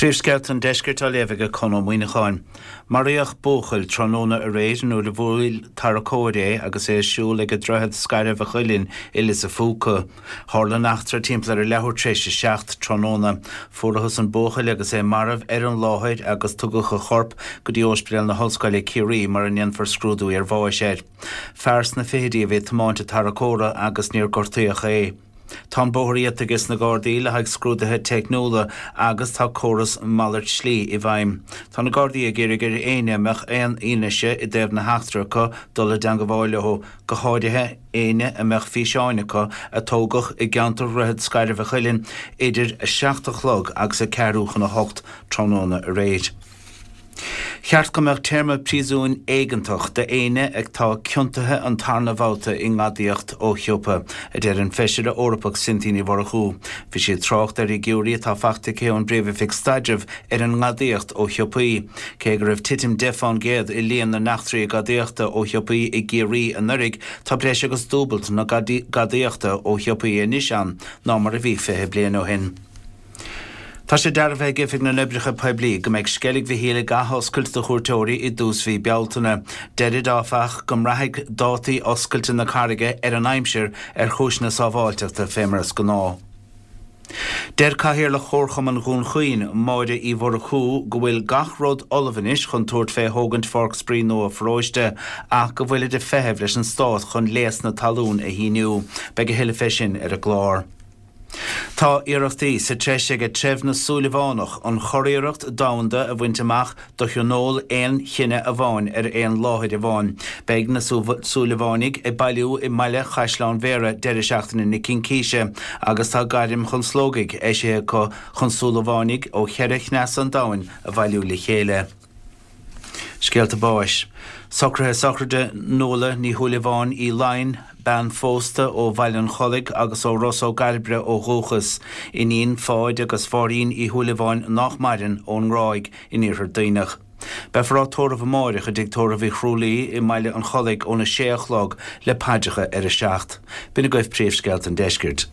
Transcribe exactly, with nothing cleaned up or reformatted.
Príomhscéalta an Deiscirt á léamh ag Conn Ó Muíneacháin. Maraíodh buachaill tráthnóna aréir nuair a bhuail tarracóir é agus é ag siúl ag Droichead Scairbh a' Chuilinn i Lios a' Phúca. Tharla an eachtra timpeall ar a leathuair tar éis a seacht tráthnóna. Fuarathas an buachaill agus é marbh ar an láthair agus tugadh a chorp go dtí Ospidéal na hOllscoile Ciarraí mar a ndéanfar scrúdú iarbháis air. Fear sna fichidí a bhí ag tiomáint an tarracóra agus níor gortaíodh é. Tá an bóthar iata aige sna Gardaí le haghaidh scrúduithe teicniúla agus tá córas malairt slí i bhfeidhm. Tá na Gardaí ag iarraidh ar éinne a mbeadh aon fhianaise i dtaobh na heachtra acu dul i dteangmháil leo, go háirithe éinne a mbeadh físeáin acu a tógadh i gceantar Dhroichead Scairbh a' Chuilinn idir a seacht a chlog agus a ceathrú chun a hocht tráthnóna aréir. Cheart go mbeadh téarma príosúin éigeantach d'éinne atá ciontaithe an tarna bhabhta i ngadaíocht ó shiopa, a deir an Feisire Eorpach Cynthia Ní Mhurchú. Bhí sí ag trácht ar fhigiúirí atá faighte aici ón bPríomh-Oifig Staidrimh ar an ngadaíocht ó shiopaí. Cé go raibh titim deich fán gcéad i líon na n-eachtraí gadaíochta ó shiopaí i gCiarraí anuraidh, tá breis agus dúbailt na gadaíochta ó shiopaí anois ann ná mar a bhí fiche bliain ó shin. Tá sé dearbhaithe ag Oifig na nOibreacha Poiblí go mbeidh Sceilg Mhichíl ag athoscailt do chuairteoirí i dtús mhí Bealtaine. Deirid, áfach, go mbraithfidh dátaí oscailte na carraige ar an aimsir ar chúiseanna sábháilteachta fé mar is gnáth. Deir Cathaoirleach Chomharchumann Dhún Chaoin, Máire Uí Mhurchú, go bhfuil gach rud ullamh anois chun tabhairt fé thógaint Pháirc Spraoi nua pharóiste ach go bhfuilid ag feitheamh leis an Stát chun léas na talún a shíniú. Beidh a thuilleadh fé sin ar an gclár. Tá iarrachtaí sa treis ag treibh na Súilleabhánach an churiarracht domhanda a bhaint amach do thionól aon chine amháin ar aon láthair amháin. Beidh na Súilleabhánaigh ag bailiú i mbaile Chaisleán Bhéarra deireadh seachtaine na Cincíse agus tá gairm chun slógaidh eisithe acu chun Súilleabhánaigh ó cheithre chneas an domhain a bhailiú le chéile. Scéalta báis. Socruithe sochraide Nuala Ní Shúilleabháin Uí Laighin, bean phósta ó Bhaile an Chollaigh agus ó Ros Ó gCairbre ó dhúchas, iníon Pháid agus Mháirín Uí Shúilleabháin nách maireann, ón nGráig in Iarthar Duibhneach. Beifear á tórramh amáireach i dTigh Tórraimh Uí Chrualaoi i mBaile an Chollaigh óna sé a chlog le paidreacha ar a seacht. B'in agaibh príomhscéalta an deiscirt.